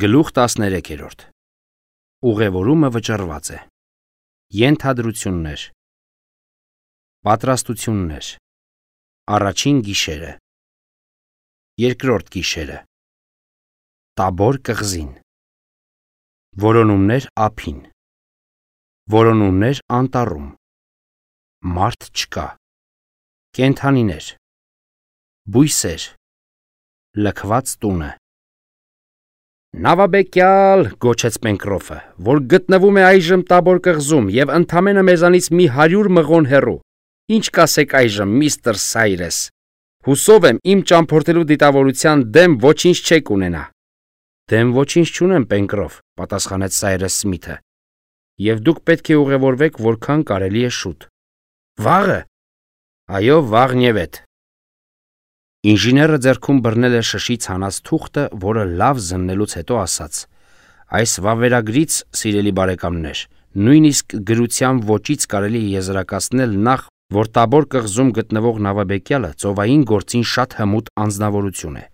Գլուխ 13 Ուղևորումը վճռված է։ Ենթադրություններ։ Պատրաստություններ։ Առաջին գիշերը։ Երկրորդ գիշերը։ Տաբոր կղզին։ Որոնումներ ափին։ Որոնումներ անտառում։ Մարդ չկա։ Կենդանիներ։ Բույսեր։ Լքված տունը։ Նավաբեկյալ, գոչեց Պենկրոֆը, որ գտնվում է այժմ Տաբոր կղզում և ընդամենը մեզանից մի 100 մղոն հեռու։ Ինչ կասեք այժմ, միստր Սայրես։ Հուսով եմ իմ ճամփորդելու դիտավորության դեմ ոչինչ չեք ունենա։ Դեմ ոչինչ չունեմ, Պենկրոֆ, պատասխանեց Սայրես Սմիթը։ Եվ դուք պետք է ուղևորվեք որքան կարելի է շուտ։ Վաղը։ Այո, վաղնևեթ։ Ինժեները ձեռքում բռնել է շշից հանած թուղթը, որը լավ զննելուց հետո ասաց. Այս վավերագրից, սիրելի բարեկամներ, նույնիսկ գրության ոճից կարելի է եզրակացնել նախ, որ Տաբոր կղզում գտնվող նավաբեկյալը ծովային գործին շատ հմուտ անձնավորություն է։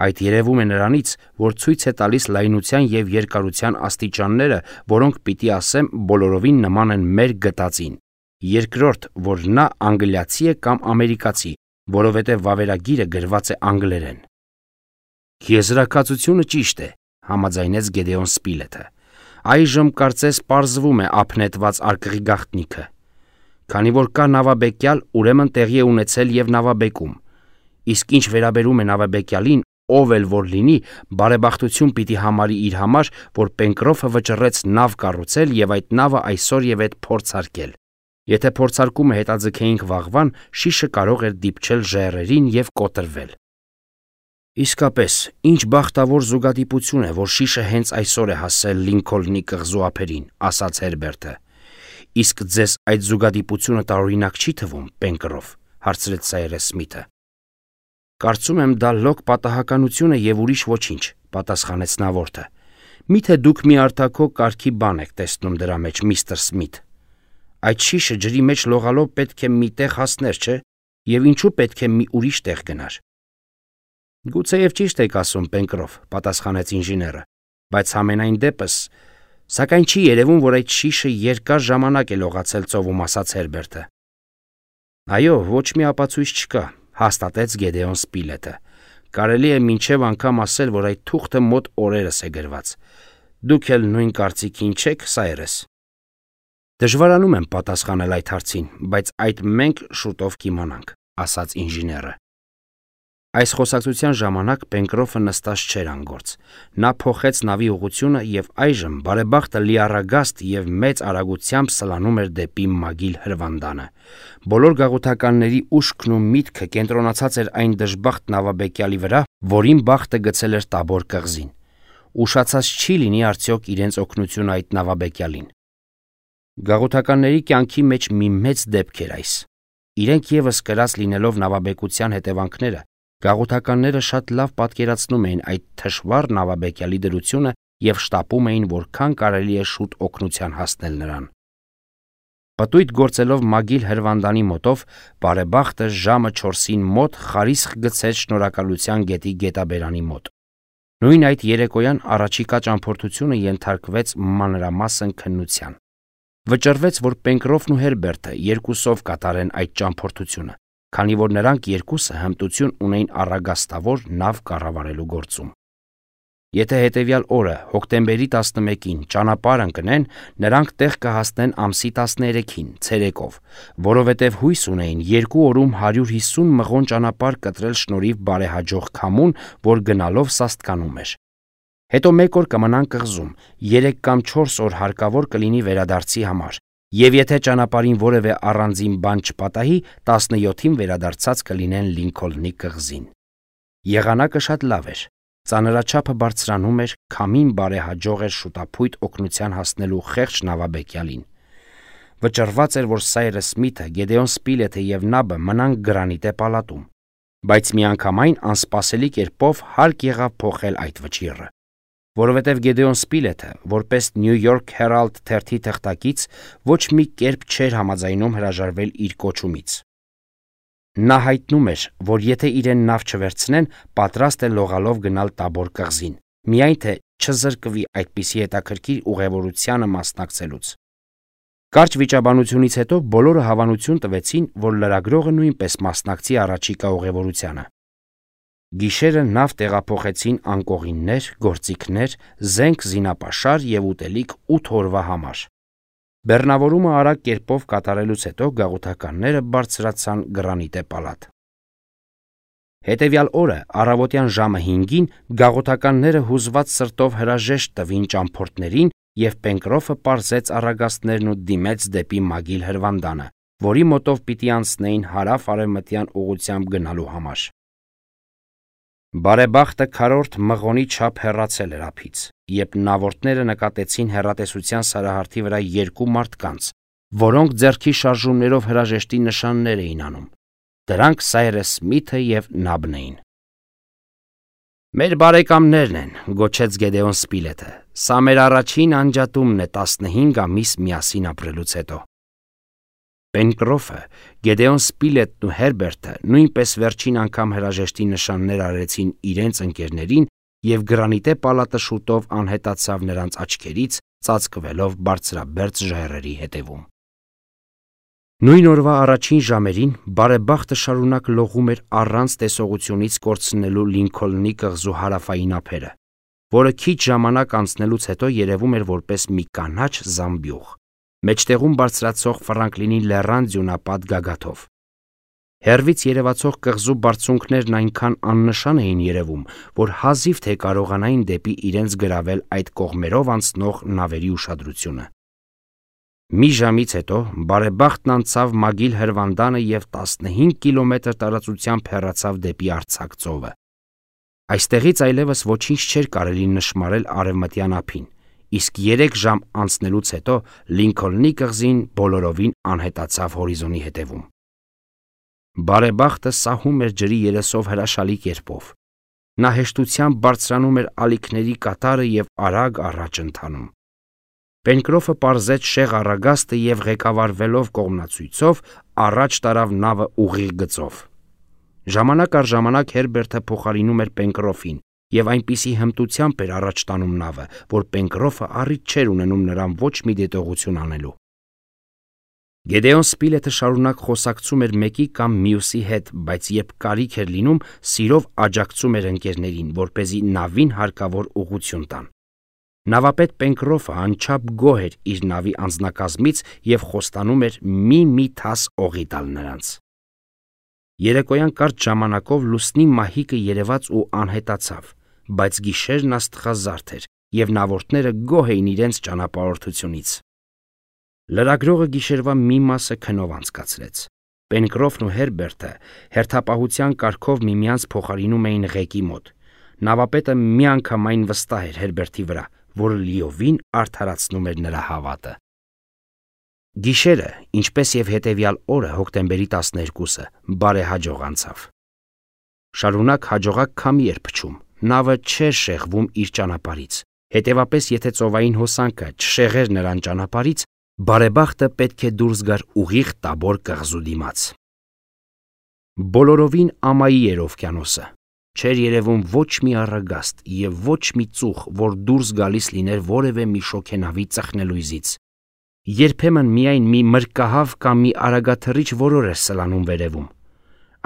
Այդ երևում է նրանից, որ ցույց է տալիս լայնության և երկարության աստիճանները, որոնք պիտի ասեմ բոլորովին նման են մեր գտածին։ Երկրորդ, որ նա անգլիացի է կամ ամերիկացի, որովհետև վավերագիրը գրված է անգլերեն։ Եզրակացությունը ճիշտ է, համաձայնեց Գեդեոն Սպիլեթը։ Այժմ կարծես պարզվում է ափնետված արկղի գաղտնիքը։ Քանի որ կա նավաբեկյալ, ուրեմն տեղի է ունեցել և նավաբեկում։ Իսկ ինչ վերաբերում է նավաբեկյալին, ով էլ որ լինի, բարեբախտություն պիտի համարի իր համար, որ Պենկրոֆը վճռեց նավ կառուցել և այդ նավը այսօր և հետ փորձարկել։ Եթե փորձարկումը հետաձգեինք վաղվան, շիշը կարող էր դիպչել ժայռերին և կոտրվել։ Իսկապես, ինչ բախտավոր զուգադիպություն է, որ շիշը հենց այսօր է հասել Լինքոլնի կղզու ափերին, ասաց Հերբերտը։ Իսկ ձեզ այդ զուգադիպությունը տարօրինակ չի թվում, Պենկրոֆ, հարցրեց Սայրես Սմիթը։ Կարծում եմ դա լոկ պատահականություն է և ուրիշ ոչինչ, պատասխանեց նավորդը։ Միթե դուք մի արտաքո կարգի բան եք տեսնում դրա մեջ, միստր Սմիթ։ Այդ շիշը ջրի մեջ լողալով պետք է մի տեղ հասներ, չէ՞, և ինչու պետք է մի ուրիշ տեղ գնար։ Գուցեև ճիշտ եք ասում, Պենկրոֆ, պատասխանեց ինժեները, բայց համենայն դեպս, սակայն չի երևում, որ այդ շիշը երկար ժամանակ է լողացել ծովում, ասաց Հերբերտը։ Այո, ոչ մի ապացույց չկա, հաստատեց Գեդեոն Սպիլեթը։ Կարելի է մինչև անգամ ասել, որ այդ թուղթը մոտ օրերս է գրված։ Դուք էլ նույն կարծիքին չեք, Սայրես։ Դժվարանում եմ պատասխանել այդ հարցին, բայց այդ մենք շուտով կիմանանք, ասաց ինժեները։ Այս խոսակցության ժամանակ Պենկրոֆը նստած չէր անգործ։ Նա փոխեց նավի ուղղությունը և այժմ բարեբախտը լիառագաստ և մեծ արագությամբ սլանում էր դեպի Մագիլ հրվանդանը։ Բոլոր գաղութականների ուշքն ու միտքը կենտրոնացած էր այն դժբախտ նավաբեկյալի վրա, որին բախտը գցել էր Տաբոր կղզին։ Ուշացած չի լինի արդյոք իրենց օգնությունը այդ նավաբեկյալին։ Գաղութականների կյանքի մեջ մի մեծ դեպք էր այս։ Իրենք ևս կրած լինելով նավաբեկության հետևանքները, գաղութականները շատ լավ պատկերացնում էին այդ թշվառ նավաբեկյալի դրությունը և շտապում էին, որքան կարելի է շուտ օգնության հասնել նրան։ Պտույտ գործելով Մագիլ հրվանդանի մոտով, բարեբախտը ժամը 4-ին մոտ խարիսխ գցեց Շնորհակալության գետի գետաբերանի մոտ։ Նույն այդ երեկոյան առաջիկա ճամփորդությունը ենթարկվեց մանրամասն քննության։ Վճռվեց, որ Պենկրոֆն ու Հերբերտը երկուսով կատարեն այդ ճամփորդությունը, քանի որ նրանք երկուսը հմտություն ունեին առագաստավոր նավ կառավարելու գործում։ Եթե հետևյալ օրը, հոկտեմբերի 11-ին ճանապարհ ընկնեն, նրանք տեղ կհասնեն ամսի 13-ին, ցերեկով, որովհետև հույս ունեին 2 օրում 150 մղոն ճանապարհ կտրել շնորհիվ բարեհաջող քամուն, որ գնալով սաստկանում էր։ Հետո 1 օր կմնան կղզում, 3 կամ 4 օր հարկավոր կլինի վերադարձի համար, և եթե ճանապարհին որևէ առանձին բան չպատահի, 17-ին վերադարձած կլինեն Լինքոլնի կղզին։ Եղանակը շատ լավ էր։ Ծանրաչափը բարձրանում էր, քամին բարեհաջող էր շուտափույթ օգնության հասնելու խեղճ նավաբեկյալին։ Վճռված էր, որ Սայրես Սմիթը, Գեդեոն Սպիլեթը և Նաբը մնան Գրանիտե պալատում, բայց միանգամայն անսպասելի կերպով հարկ եղավ փոխել այդ վճիռը։ Որովհետև Գեդեոն Սպիլեթը, որպես New York Herald թերթի թղթակից, ոչ մի կերպ չէր համաձայնում հրաժարվել իր կոչումից։ Նա հայտնում էր, որ եթե իրեն նավ չվերցնեն, պատրաստ է լողալով գնալ Տաբոր կղզին, միայն թե չզրկվի այդպիսի հետաքրքիր ուղևորությանը մասնակցելուց։ Կարճ վիճաբանությունից հետո բոլորը հավանություն տվեցին, որ լրագրողը նույնպես մասնակցի առաջիկա ուղևորությանը։ Գիշերը նավ տեղափոխեցին անկողիններ, գործիքներ, զենք, զինապաշար և ուտելիք 8 օրվա համար։ Բեռնավորումը արագ կերպով կատարելուց հետո գաղութականները բարձրացան Գրանիտե պալատ։ Հետևյալ օրը առավոտյան ժամը 5-ին գաղութականները հուզված սրտով հրաժեշտ տվին ճամփորդներին և Պենկրոֆը պարզեց առագաստներն ու դիմեց դեպի Մագիլ հրվանդանը, որի մոտով պիտի անցնեին հարավ-արևմտյան ուղղությամբ գնալու համար։ Բարեբախտը քառորդ մղոնի չափ հեռացել էր ափից, երբ նավորդները նկատեցին հեռատեսության սարահարթի վրա 2 մարդկանց, որոնք ձեռքի շարժումներով հրաժեշտի նշաններ էին անում։ Դրանք Սայրես Սմիթը և Նաբն էին։ «Մեր բարեկամներն են», գոչեց Գեդեոն Սպիլեթը։ «Սա մեր առաջին անջատումն է 15 ամիս միասին ապրելուց հետո»։ Պենկրոֆը, Գեդեոն Սպիլետն ու Հերբերտը նույնպես վերջին անգամ հրաժեշտի նշաններ արեցին իրենց ընկերներին, և Գրանիտե պալատը շուտով անհետացավ նրանց աչքերից, ծածկվելով բարձրաբերձ ժայռերի հետևում։ Նույն օրվա առաջին ժամերին բարեբախտը շարունակ լողում էր առանց տեսողությունից կորցնելու Լինքոլնի կղզու հարավային ափերը, որը քիչ ժամանակ անցնելուց հետո երևում էր որպես մի կանաչ զամբյուղ, մեջտեղում բարձրացող Ֆրանկլինի լեռան ձյունապատ գագաթով։ Հեռվից երևացող կղզու բարձունքներն այնքան աննշան էին երևում, որ հազիվ թե կարողանային դեպի իրենց գրավել այդ կողմերով անցնող նավերի ուշադրությունը։ Մի ժամից հետո բարեբախտն անցավ Մագիլ հրվանդանը և 15 կիլոմետր տարածությամբ հեռացավ դեպի Արձակ ծովը։ Այստեղից այլևս ոչինչ չէր կարելի նշմարել արևմտյան ափին, իսկ 3 ժամ անցնելուց հետո Լինքոլնի կղզին բոլորովին անհետացավ հորիզոնի հետևում։ Բարեբախտը սահում էր ջրի երեսով հրաշալի կերպով։ Նա հեշտությամբ բարձրանում էր ալիքների կատարը և արագ առաջ ընթանում։ Պենկրոֆը պարզեց շեղ առագաստը և ղեկավարվելով կողմնացույցով առաջ տարավ նավը ուղիղ գծով։ Ժամանակ առ ժամանակ Հերբերտը փոխարինում էր Պենկրոֆին և այնպիսի հմտությամբ էր առաջ տանում նավը, որ Պենկրոֆը առիթ չէր ունենում նրան ոչ մի դետողություն անելու։ Գեդեոն Սպիլեթը շարունակ խոսակցում էր մեկի կամ մյուսի հետ, բայց երբ կարիք էր լինում, սիրով աջակցում էր ընկերներին, որպեսզի նավին հարկավոր ուղղություն տան։ Նավապետ Պենկրոֆը անչափ գոհ էր իր նավի անձնակազմից և խոստանում էր մի թաս օղի տալ նրանց։ Երեկոյան կարճ ժամանակով լուսնի մահիկը երևաց ու անհետացավ, բայց գիշերն աստղազարդ էր, և նավորդները գոհ էին իրենց ճանապարհորդությունից։ Լրագրողը գիշերվա մի մասը քնով անցկացրեց։ Պենկրոֆն ու Հերբերտը հերթապահության կարգով միմյանց փոխարինում էին ղեկի մոտ։ Նավապետը միանգամայն վստահ էր Հերբերտի վրա, որը լիովին արդարացնում էր նրա հավատը։ Գիշերը, ինչպես և հետևյալ օրը հոկտեմբերի 12-ը, բարեհաջող անցավ։ Շարունակ հաջողակ քամի էր փչում, նավը չէր շեղվում իր ճանապարհից, հետևապես եթե ծովային հոսանքը չշեղեր նրան ճանապարհից, բարեբախտը պետք է դուրս գար ուղիղ Տաբոր կղզու դիմաց։ Բոլորովին ամայի էր օվկիանոսը։ Չէր երևում ոչ մի առագաստ և ոչ մի ծուխ, որ դուրս գալիս լիներ որևէ մի շոգենավի ծխնելույզից։ Երբեմն միայն մի մրրկահավ կամ մի արագաթռիչ որոր էր սլանում վերևում։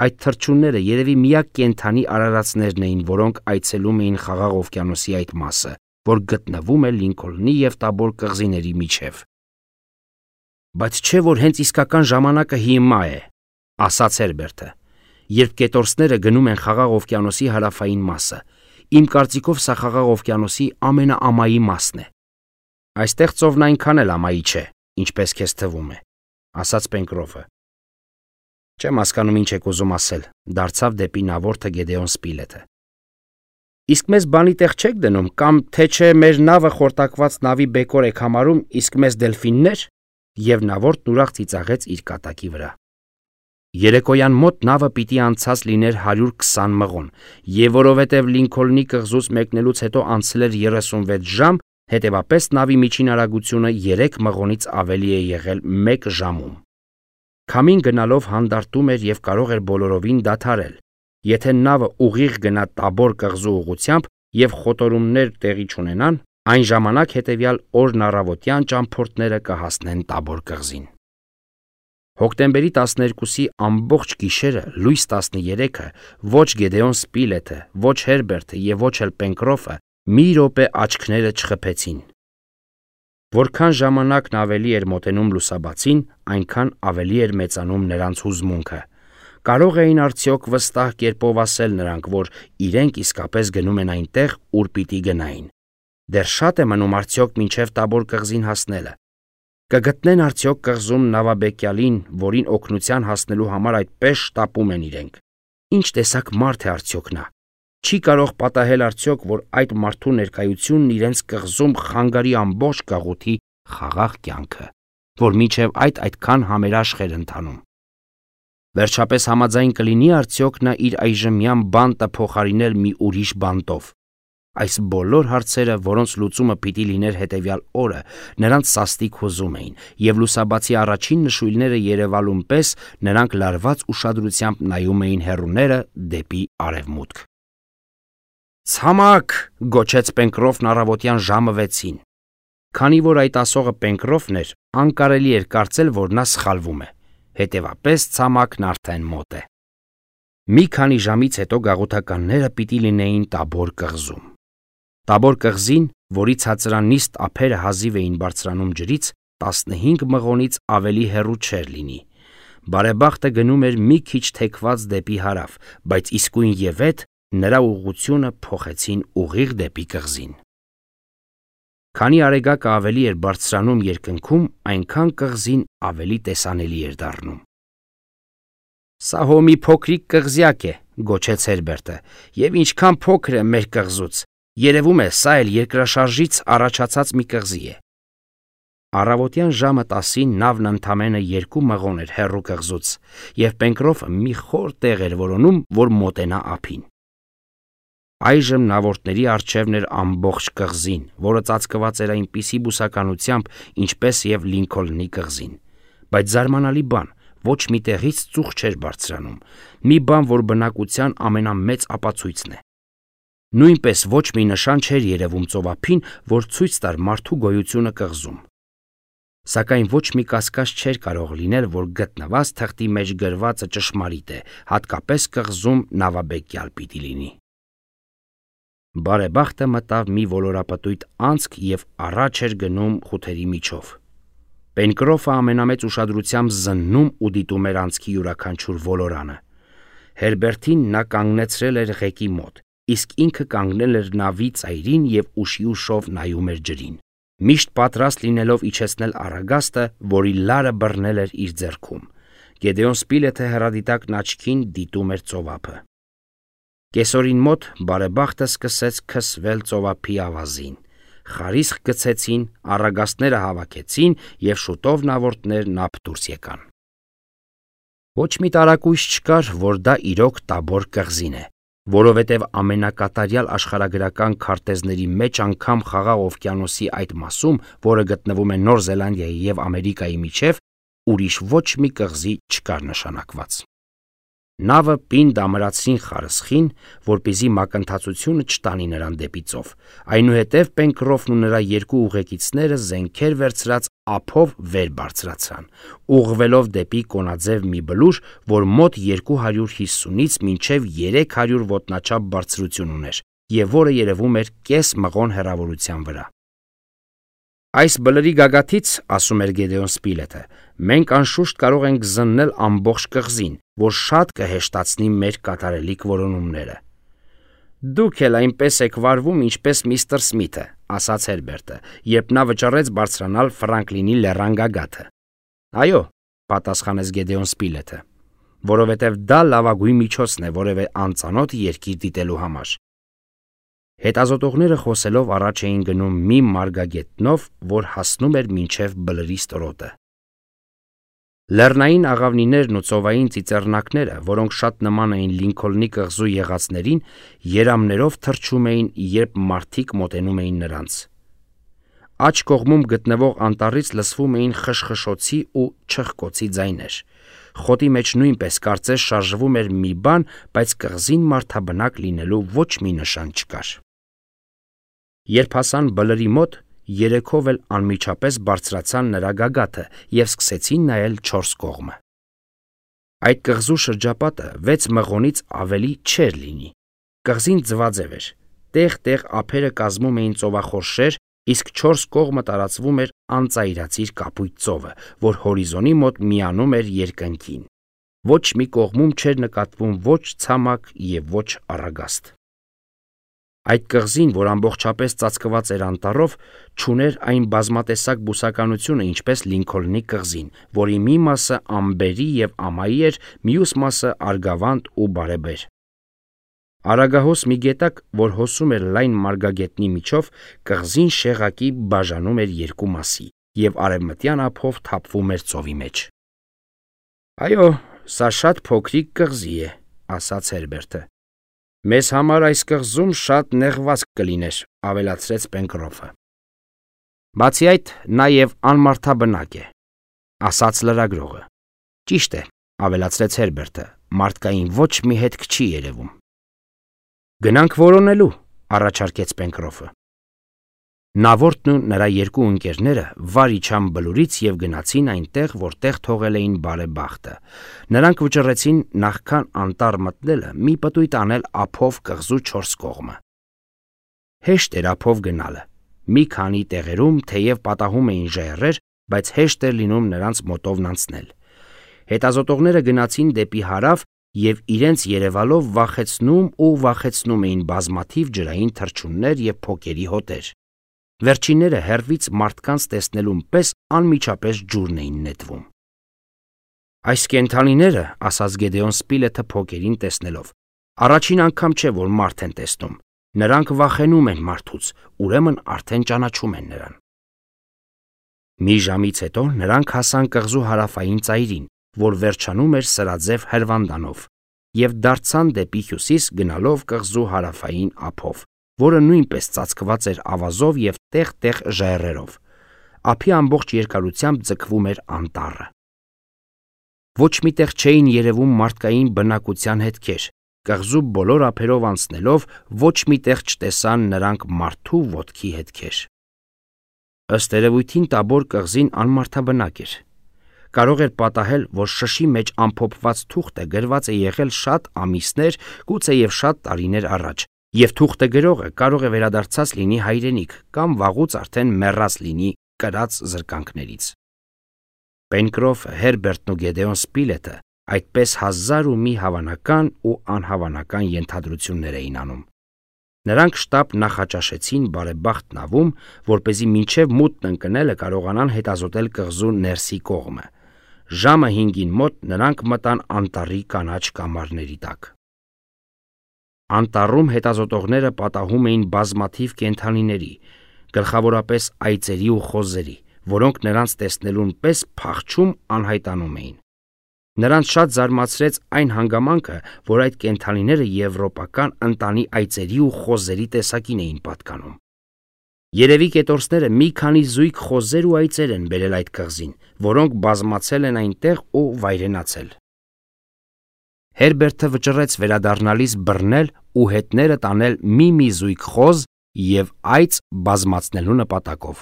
Այդ թռչունները երևի միակ կենդանի արարածներն էին, որոնք այցելում էին Խաղաղ օվկիանոսի այդ մասը, որ գտնվում է Լինքոլնի և Տաբոր կղզիների միջև։ Բայց չէ՞ որ հենց իսկական ժամանակը հիմա է, ասաց Հերբերտը։ Երբ կետորսները գնում են Խաղաղ օվկիանոսի հարավային մասը, իմ կարծիքով սա Խաղաղ օվկիանոսի ամենաամայի մասն է։ Այստեղ ծովն այնքան էլ ամայի չէ, ինչպես քեզ թվում է, ասաց Պենկրոֆը։ Չեմ հասկանում ինչ եք ուզում ասել, դարձավ դեպի նավորդը Գեդեոն Սպիլեթը։ Իսկ մեզ բանի տեղ չեք դնում, կամ թե չէ մեր նավը խորտակված նավի բեկոր եք համարում, իսկ մեզ դելֆիններ։ Եվ նավորդն ուրախ ծիծաղեց իր կատակի վրա։ Երեկոյան մոտ նավը պիտի անցած լիներ 120 մղոն, և որովհետև Լինքոլնի կղզուց մեկնելուց հետո անցել էր 36 ժամ, հետևապես նավի միջին արագությունը 3 մղոնից ավելի է եղել 1 ժամում։ Քամին գնալով հանդարտում էր և կարող էր բոլորովին դադարել։ Եթե նավը ուղիղ գնա Տաբոր կղզու ուղղությամբ, եւ խոտորումներ տեղի չունենան, այն ժամանակ հետևյալ օրն առավոտյան ճամփորդները կհասնեն Տաբոր կղզին։ Հոկտեմբերի 12-ի ամբողջ գիշերը լույս 13-ը ոչ Գեդեոն Սպիլեթը, ոչ Հերբերտը եւ ոչ էլ Պենկրոֆը մի րոպե աչքները չխփեցին։ Որքան ժամանակն ավելի էր մոտենում լուսաբացին, այնքան ավելի էր մեծանում նրանց հուզմունքը։ Կարող էին արդյոք վստահ կերպով ասել նրանք, որ իրենք իսկապես գնում են այնտեղ, ուր պիտի գնային։ Դեռ շատ է մնում արդյոք մինչև Տաբոր կղզին հասնելը։ Կգտնեն արդյոք կղզում նավաբեկյալին, որին օգնության հասնելու համար այդպես շտապում են իրենք։ Ինչ տեսակ մարդ է արդյոք նա։ Չի կարող պատահել արդյոք, որ այդ մարդու ներկայությունն իրենց կղզում խանգարի ամբողջ գաղութի խաղաղ կյանքը, որ մինչև այդքան համերաշխ էր ընթանում։ Վերջապես համաձայն կլինի արդյոք նա իր այժմյան բանտը փոխարինել մի ուրիշ բանտով։ Այս բոլոր հարցերը, որոնց լուծումը պիտի լիներ հետևյալ օրը, նրանց սաստիկ հուզում էին, եւ լուսաբացի առաջին նշույլները երևալուն պես նրանք լարված ուշադրությամբ նայում էին հեռուները դեպի արևմուտք։ «Ցամաք!» գոչեց Պենկրոֆն առավոտյան ժամը 6-ին։ Քանի որ այդ ասողը Պենկրոֆն էր, անկարելի էր կարծել, որ նա սխալվում է։ Հետևապես ցամաքն արդեն մոտ է։ Մի քանի ժամից հետո գաղութականները պիտի լինեին Տաբոր կղզում։ Տաբոր կղզին, որի ցածրանիստ ափերը հազիվ էին բարձրանում ջրից, 15 մղոնից ավելի հեռու չէր լինի։ Բարեբախտը գնում էր մի քիչ թեքված դեպի հարավ, բայց իսկույն եւ այդ նրա ուղղությունը փոխեցին ուղիղ դեպի կղզին։ Քանի արեգակը ավելի էր բարձրանում երկնքում, այնքան կղզին ավելի տեսանելի էր դառնում։ «Սա հո մի փոքրիկ կղզյակ է», գոչեց Հերբերտը, «եւ ինչքան փոքր է մեր կղզուց։ Երևում է, սա էլ երկրաշարժից առաջացած մի կղզի է»։ Առավոտյան ժամը 10-ին նավն ընդամենը 2 մղոն էր հեռու կղզուց, եւ Պենկրոֆը մի խոր տեղ էր որոնում, որ մոտենա ափին։ Այժմ նավորդների առջևն էր ամբողջ կղզին, որը ծածկված էր այնպիսի բուսականությամբ, ինչպես եւ Լինքոլնի կղզին։ Բայց զարմանալի բան, ոչ մի տեղից ծուխ չէր բարձրանում, մի բան, որ բնակության ամենամեծ ապացույցն է։ Նույնպես ոչ մի նշան չէր երևում ծովափին, որ ցույց տար մարդու գոյությունը կղզում։ Սակայն ոչ մի կասկած չէր կարող լինել, որ գտնված թղթի մեջ գրվածը ճշմարիտ է, հատկապես կղզում նավաբեկյալ պիտի լինի։ Բարեբախտը մտավ մի ոլորապտույտ անցք եւ առաջ էր գնում խութերի միջով։ Պենկրոֆը ամենամեծ ուշադրությամբ զննում ու դիտում էր անցքի յուրաքանչյուր ոլորանը։ Հերբերտին նա կանգնեցրել էր ղեկի մոտ, իսկ ինքը կանգնել էր նավի ծայրին եւ ուշի ուշով նայում էր ջրին, միշտ պատրաստ լինելով իջեցնել առագաստը, որի լարը բռնել էր իր ձեռքում։ Գեդեոն Սպիլեթը հեռադիտակն աչքին դիտում էր ծովափը։ Կեսօրին մոտ բարեբախտը սկսեց քսվել ծովափի ավազին։ Խարիսխ գցեցին, առագաստները հավաքեցին եւ շուտով նավորդներն ափ դուրս եկան։ Ոչ մի տարակույս չկար, որ դա իրոք Տաբոր կղզին է, որովհետև ամենակատարյալ աշխարհագրական քարտեզների մեջ անգամ Խաղաղ օվկիանոսի այդ մասում, որը գտնվում է Նոր Զելանդիայի եւ Ամերիկայի միջև, ուրիշ ոչ մի կղզի չկար նշանակված։ Նավը պինդ ամրացրին խարսխին, որպեսզի մակընթացությունը չտանի նրան դեպի ծով։ Այնուհետև Պենկրոֆն ու նրա երկու ուղեկիցները զենքեր վերցրած ափով վեր բարձրացան, ուղղվելով դեպի կոնաձև մի բլուր, որ մոտ 250-ից մինչև 300 ոտնաչափ բարձրություն ուներ, եւ որը երևում էր կես մղոն հեռավորության վրա։ Այս բլրի գագաթից, ասում էր Գեդեոն Սպիլեթը, մենք անշուշտ կարող ենք զննել ամբողջ կղզին, որ շատ կհեշտացնի մեր կատարելիք որոնումները։ Դուք էլ այնպես եք վարվում, ինչպես միստր Սմիթը, ասաց Հերբերտը, երբ նա վճռեց բարձրանալ Ֆրանկլինի լեռան գագաթը։ Այո, պատասխանեց Գեդեոն Սպիլեթը, որովհետև դա լավագույն միջոցն է որևէ անծանոթ երկիր դիտելու համար։ Հետազոտողները խոսելով առաջ էին գնում մի մարգագետնով, որ հասնում էր մինչև բլրի ստորոտը։ Լեռնային աղավնիներն ու ծովային ծիծեռնակները, որոնք շատ նման էին Լինքոլնի կղզու եղածներին, երամներով թռչում էին, երբ մարդիկ մոտենում էին նրանց։ Աջ կողմում գտնվող անտառից լսվում էին խշխշոցի ու չխկոցի ձայներ։ Խոտի մեջ նույնպես կարծես շարժվում էր մի բան, բայց կղզին մարդաբնակ լինելու ոչ մի նշան չկար։ Երբ հասան բլրի մոտ, երեքով էլ անմիջապես բարձրացան նրա գագաթը և սկսեցին նայել չորս կողմը։ Այդ կղզու շրջապատը 6 մղոնից ավելի չէր լինի։ Կղզին ձվաձև էր, տեղ-տեղ ափերը կազմում էին ծովախորշեր, իսկ 4 կողմը տարածվում էր անծայրածիր կապույտ ծովը, որ հորիզոնի մոտ միանում էր երկնքին։ Ոչ մի կողմում չէր նկատվում ոչ ցամաք և ոչ առագաստ։ Այդ կղզին, որ ամբողջապես ծածկված էր անտառով, չուներ այն բազմատեսակ բուսականությունը, ինչպես Լինքոլնի կղզին, որի մի մասը ամբերի և ամայի էր, մյուս մասը արգավանդ ու բարեբեր։ Արագահոս մի գետակ, որ հոսում էր լայն մարգագետնի միջով, կղզին շեղակի բաժանում էր երկու մասի և արևմտյան ափով թափվում էր ծովի մեջ։ «Այո, սա շատ փոքրիկ կղզի է», ասաց Հերբերտը։ «Մեզ համար այս կղզում շատ նեղվածք կլիներ», ավելացրեց Պենկրոֆը։ «Բացի այդ, նա և անմարդաբնակ է», ասաց լրագրողը։ «Ճիշտ է», ավելացրեց Հերբերտը, «մարդկային ոչ մի հետք չի երևում»։ «Գնանք որոնելու», առաջարկեց Պենկրոֆը։ Նավորդն ու նրա երկու ընկերները վար իջան բլուրից և գնացին այնտեղ, որտեղ թողել էին բարեբախտը։ Նրանք վճռեցին նախքան անտառ մտնելը մի պտույտ անել ափով կղզու 4 կողմը։ Հեշտ էր ափով գնալը։ Մի քանի տեղերում թեև պատահում էին ժայռեր, բայց հեշտ էր լինում նրանց մոտովն անցնել։ Հետազոտողները գնացին դեպի հարավ և իրենց երևալով վախեցնում էին բազմաթիվ ջրային թռչուններ և փոկերի հոտեր։ Վերջինները հեռվից մարդկանց տեսնելուն պես անմիջապես ջուրն էին նետվում։ «Այս կենդանիները», ասաց Գեդեոն Սպիլեթը փոկերին տեսնելով, «առաջին անգամ չէ, որ մարդ են տեսնում։ Նրանք վախենում են մարդուց, ուրեմն արդեն ճանաչում են նրան»։ Մի ժամից հետո նրանք հասան կղզու հարավային ծայրին, որ վերջանում էր սրաձև հրվանդանով, և դարձան դեպի հյուսիս գնալով կղզու հարավային ափով, որը նույնպես ծածկված էր ավազով և տեղ-տեղ ժայռերով։ Ափի ամբողջ երկարությամբ ձգվում էր անտառը։ Ոչ մի տեղ չէին երևում մարդկային բնակության հետքեր։ Կղզու բոլոր ափերով անցնելով ոչ մի տեղ չտեսան նրանք մարդու ոտքի հետքեր։ Ըստ երևույթին Տաբոր կղզին անմարդաբնակ էր։ Կարող էր պատահել, որ շշի մեջ ամփոփված թուղթը գրված է եղել շատ ամիսներ, գուցեև շատ տարիներ առաջ, և թուղթը գրողը կարող է վերադարձած լինի հայրենիք կամ վաղուց արդեն մեռած լինի կրած զրկանքներից։ Պենկրոֆը, Հերբերտն ու Գեդեոն Սպիլեթը այդպես հազար ու մի հավանական ու անհավանական ենթադրություններ էին անում։ Նրանք շտապ նախաճաշեցին բարեբախտ նավում, որպեսզի մինչև մութն ընկնելը կարողանան հետազոտել կղզու ներսի կողմը։ Ժամը 5-ին մոտ նրանք մտան անտառի կանաչ կամարների տակ։ Անտառում հետազոտողները պատահում էին բազմաթիվ կենդանիների, գլխավորապես այծերի ու խոզերի, որոնք նրանց տեսնելուն պես փախչում անհայտանում էին։ Նրանց շատ զարմացրեց այն հանգամանքը, որ այդ կենդանիները եվրոպական ընտանի այծերի ու խոզերի տեսակին էին պատկանում։ Երևի կետորսները մի քանի զույգ խոզեր ու այծեր են բերել այդ կղզին, որոնք բազմացել են այնտեղ ու վայրենացել։ Հերբերտը վճռեց վերադառնալիս բռնել ու հետները տանել մի զույգ խոզ և այծ բազմացնելու նպատակով։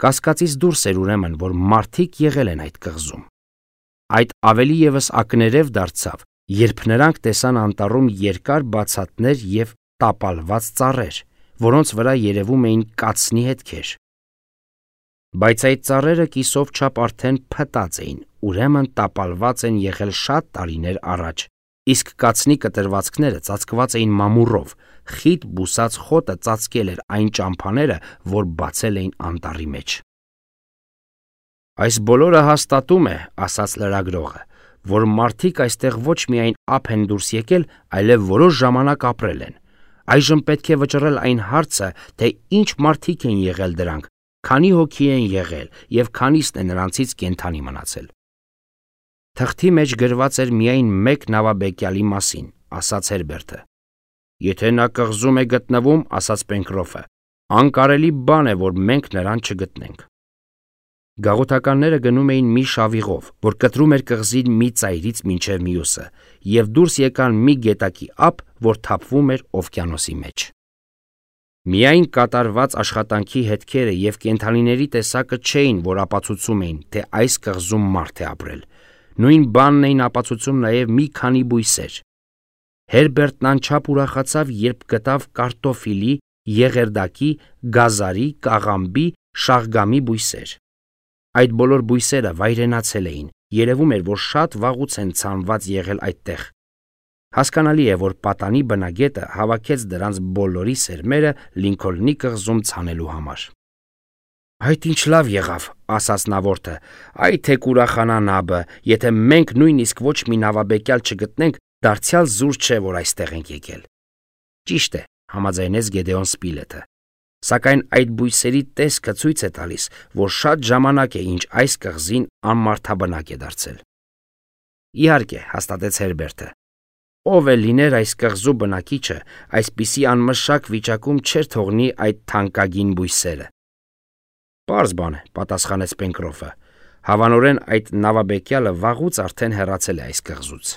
Կասկածից դուրս էր ուրեմն, որ մարդիկ եղել են այդ կղզում։ Այդ ավելի ևս ակներև դարձավ, երբ նրանք տեսան անտառում երկար բացատներ և տապալված ծառեր, որոնց վրա երևում էին կացնի հետքեր։ Բայց այդ ծառերը կիսով չափ արդեն փտած էին, ուրեմն տապալված են եղել շատ տարիներ առաջ, իսկ կացնի կտրվածքները ծածկված էին մամուռով, խիտ բուսած խոտը ծածկել էր այն ճամփաները, որ բացել էին անտառի մեջ։ «Այս բոլորը հաստատում է, — ասաց լրագրողը, — որ մարդիկ այստեղ ոչ միայն ափ են դուրս եկել, այլև որոշ ժամանակ ապրել են։ Այժմ պետք է վճռել այն հարցը, թե ինչ մարդիկ են եղել դրանք, քանի հոգի են եղել և քանիսն է նրանցից կենդանի մնացել»։ Թղթի մեջ գրված էր միայն մեկ նավաբեկյալի մասին, ասաց Հերբերտը։ «Եթե նա կղզում է գտնվում, — ասաց Պենկրոֆը, — անկարելի բան է, որ մենք նրան չգտնենք»։ Գաղութականները գնում էին մի շավիղով, որ կտրում էր կղզին մի ծայրից մինչև մյուսը, և դուրս եկան մի գետակի ափ, որ թափվում էր օվկիանոսի մեջ։ Միայն կատարված աշխատանքի հետքերը և կենդանիների տեսակը չէին, որ ապացուցում էին, թե այս կղզում մարդ է ապրել։ Նույն բանն էին ապացուցում նաև մի քանի բույսեր։ Հերբերտն անչափ ուրախացավ, երբ գտավ կարտոֆիլի, եղերդակի, գազարի, կաղամբի, շաղգամի բույսեր։ Այդ բոլոր բույսերը վայրենացել էին, երևում էր, որ շատ վաղուց են ցանված եղել այդտեղ։ Հասկանալի է, որ պատանի բնագետը հավաքեց դրանց բոլորի սերմերը Լինքոլնի կղզում ցանելու համար։ «Այդ ինչ լավ եղավ», ասաց նավորդը, «այ թե կուրախանա նաբը, եթե մենք նույնիսկ ոչ մի նավաբեկյալ չգտնենք, դարձյալ զուր չէ, որ այստեղ ենք եկել»։ Ճիշտ է, համաձայնեց Գեդեոն Սպիլեթը, սակայն այդ բույսերի տեսքը ցույց է տալիս, որ շատ ժամանակ է, ինչ այս կղզին անմարդաբնակ է դարձել։ Իհարկե, հաստատեց Հերբերտը, ով է լիներ այս կղզու բնակիչը, այսպիսի անմշակ վիճակում չէր թողնի այդ թանկագին բույսերը։ Պարզ բան է, պատասխանեց Պենկրոֆը, հավանորեն այդ նավաբեկյալը վաղուց արդեն հեռացել է այս կղզուց։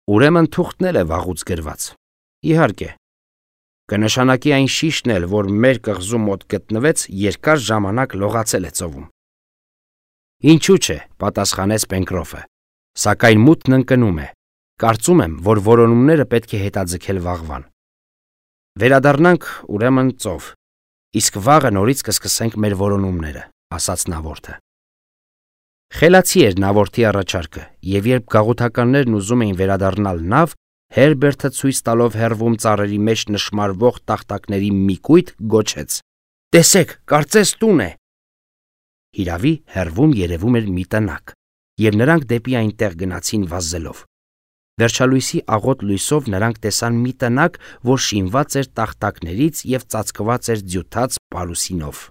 Ուրեմն թուղթն էլ է վաղուց գրված։ Իհարկե, կնշանակի այն շիշն էլ, որ մեր կղզու մոտ գտնվեց, երկար ժամանակ լողացել է ծովում։ Ինչու՞ չէ, պատասխանեց Պենկրոֆը, սակայն մութն ընկնում է։ Կարծում եմ, որ որոնումները պետք է հետաձգել վաղվան։ Վերադառնանք ուրեմն ծով, իսկ վաղը նորից կսկսենք մեր որոնումները, ասաց նավորդը։ Խելացի էր նավորդի առաջարկը, և երբ գաղութականներն ուզում էին վերադառնալ նավ, Հերբերտը ցույց տալով հեռվում ծառերի մեջ նշմարվող տախտակների մի կույտ գոչեց. «Տեսեք, կարծես տուն է»։ Հիրավի հեռվում երևում էր մի տնակ, և նրանք դեպի այնտեղ գնացին վազելով։ Վերջալույսի աղոտ լույսով նրանք տեսան մի տնակ, որ շինված էր տախտակներից և ծածկված էր ձյութած պարուսինով։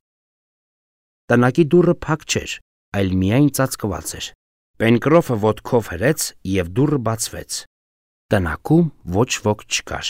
Տնակի դուռը փակ չէր, այլ միայն ծածկված էր։ Պենկրոֆը ոտքով հրեց, և դուռը բացվեց։ Տնակում ոչ ոք չկար։